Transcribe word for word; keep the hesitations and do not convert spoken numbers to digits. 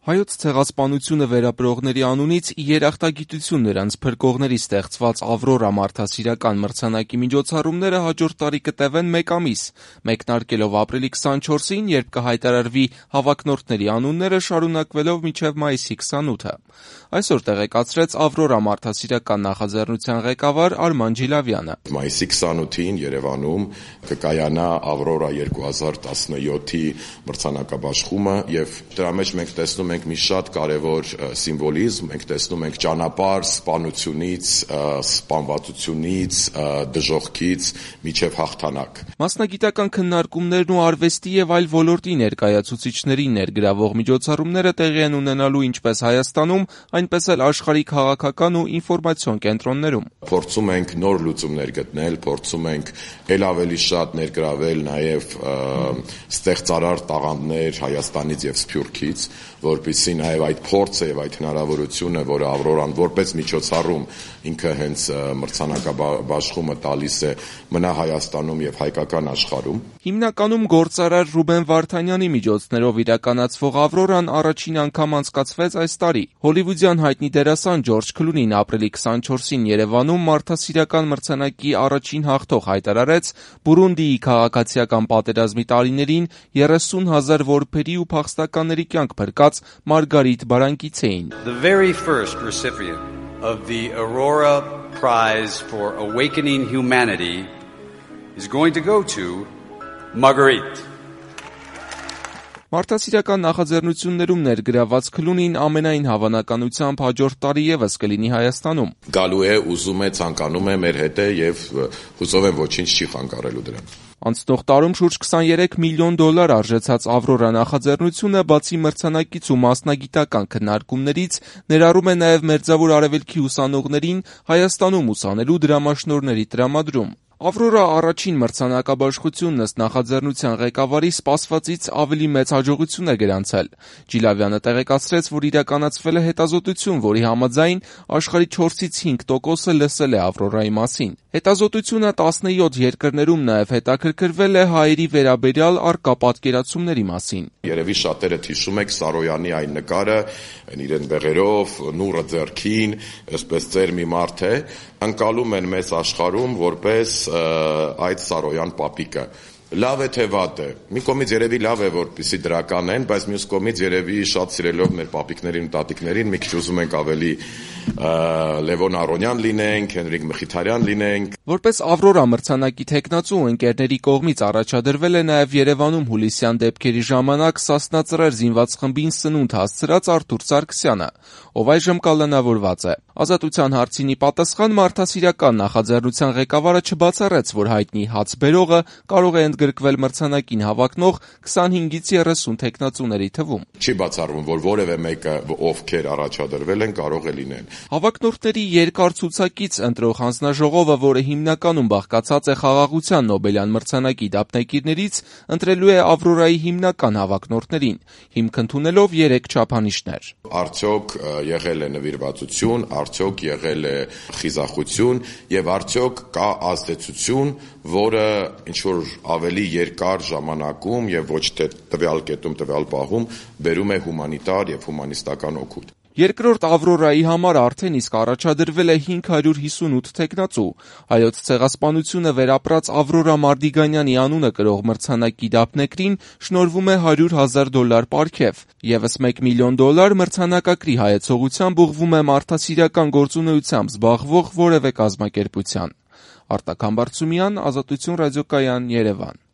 Հայոց ցեղասպանությունը վերապրողների անունից ի երախտագիտություն նրանց փրկողների ստեղծված Ավրորա մարդասիրական մրցանակի միջոցառումները հաջորդ տարի կտևեն մեկ ամիս, մեկնարկելով ապրիլի քսանչորսին, երբ կհայտարարվի հավակնորդների անունները, շարունակվելով մինչև մայիսի քսանութը։ Այսօր տեղեկացրեց Ավրորա մարդասիրական նախաձեռնության ղեկավար Արման Ջիլավյանը։ Մայիսի քսանութին Երևանում կկայանա Ավրորա երկու հազար տասնյոթի մրցանակաբաշխումը եւ դրա մեջ մենք տեսնում ենք մի շատ կարևոր սիմվոլիզմ, մենք տեսնում ենք ճանապարհ սպանությունից, սպանվածությունից, դժոխքից միջև հաղթանակ։ Մասնագիտական քննարկումներն ու արվեստի եւ այլ ոլորտի ներկայացուցիչներին ներգրավող միջոցառումները տեղի են ունենալու ինչպես Հայաստանում, այնպես էլ աշխարհի քաղաքական ու ինֆորմացիոն կենտրոններում։ Փորձում ենք նոր լուծումներ գտնել, փորձում ենք ել ավելի շատ ներգրավել նաեւ ստեղծարար տաղանդներ Հայաստանից եւ Սփյուռքից, որպեսզի նաև այդ փորձը եւ այդ հնարավորությունը, որը Ավրորան որպես միջոցառում ինքը հենց մրցանակաբաշխումը տալիս է, մնա Հայաստանում եւ հայկական աշխարհում։ Հիմնականում գործարար Ռուբեն Վարդանյանի միջոցներով իրականացվող Ավրորան առաջին անգամ անցկացվեց այս տարի։ Հոլիվուդյան հայտնի դերասան Ջորջ Քլունին ապրիլի քսանչորսին Երևանում մարդասիրական մրցանակի առաջին հաղթող հայտարարեց Բուրունդիի քաղաքացիական պատերազմի տարիներին երեսուն հազար որբերի ու փախստականների կյանք փրկած Մարգարիտ Բարանկիցեին։ The very first recipient of the Aurora Prize for Awakening Humanity is going to go to Marguerite. Մարդասիրական նախաձեռնություններում ներգրաված Քլունին ամենայն հավանականությամբ հաջորդ տարի ևս կլինի Հայաստանում։ Գալու է, ուզում է, ցանկանում է մեր հետ է եւ հուսով եմ ոչինչ չի խանգարելու դրան։ Անցնող տարում շուրջ քսաներեք միլիոն դոլար արժեցած Ավրորա նախաձեռնությունը բացի մրցանակից ու մասնագիտական քննարկումներից ներառում է նաև Մերձավոր Արևելքի ուսանողներին Հայաստանում ուսանելու դրամաշնորհների տրամադրում։ Ավրորա առաջին մրցանակաբաշխությունն ըստ նախաձեռնության ղեկավարի սպասվածից ավելի մեծ հաջողություն է գրանցել։ Ջիլավյանը տեղեկացրեց, որ իրականացվել է հետազոտություն, որի համաձայն աշխարհի չորսից հինգ տոկոսը լսել է Ավրորայի մասին։ Հետազոտությունը տասնյոթ երկրներում նաև հետաքրքրվել է հայերի վերաբերյալ առկա պատկերացումների մասին։ Երևի շատերը հիշում եք Սարոյանի այն նկարը, իրեն բեղերով, նուրը ձեռքին, այսպես ծեր մի մարդ է, ընկալում են մեծ աշխարհում որպես այդ Սարոյան պապիկը։ Լավ է թե վատ է։ Մի կողմից երևի լավ է, որպեսզի դրական են, բայց մյուս կողմից երևի շատ սիրելով մեր պապիկներին ու տատիկներին մի քիչ ուզում ենք ավելի Լևոն Արոնյան լինենք, Հենրիկ Մխիթարյան լինենք։ Որպես Ավրորա մրցանակի թեկնածու ընկերների կողմից առաջադրվել է նաև Երևանում հուլիսյան դեպքերի ժամանակ Սասնա Ծռեր զինված խմբին սնունդ հասցրած Արթուր Սարգսյանը, ով այժմ կալանավորված է։ Ազատության հարցին ի պատասխան մարդասիրական նախաձեռնության ղեկավարը չբացառեց, որ հայտնի հաց բերողը կարող է ընդգրկվել մրցանակին հավակնող քսանհինգից երեսուն թեկնածուների թվում։ Չի բացառվում, որ որևէ մեկը, ովքեր առաջադրվել են, կարող է լինել։ Հավակնորդների երկար ցուցակից ընտրող հանձնաժողովը, որը հիմնականում բաղկացած է խաղաղության Նոբելյան մրցանակի դափնեկիրներից, ընտրելու է Ավրորայի հիմնական հավակնորդներին, հիմք ընդունելով երեք չափանիշներ։ Արդյոք եղել է նվիրվածություն, արդյոք եղել է խիզախություն եւ արդյոք կա ազդեցություն, որը ինչ որ ավելի երկար ժամանակում եւ ոչ թե տվյալ կետում, տվյալ պահում բերում է հումանիտար եւ հումանիստական օգուտ։ Երկրորդ Ավրորայի համար արդեն իսկ առաջադրվել է հինգ հարյուր հիսունութ թեկնածու։ Հայոց ցեղասպանությունը վերապրած Ավրորա Մարդիգանյանի անունը կրող մրցանակի դափնեկրին շնորհվում է հարյուր հազար դոլար պարգև։ Եվս մեկ միլիոն դոլար մրցանակակրի հայեցողությամբ ուղղվում է մարդասիրական գործունեությամբ զբաղվող որևէ կազմակերպության։ Արտակ Համբարձումյան, Ազատություն ռադիոկայան, Երևան։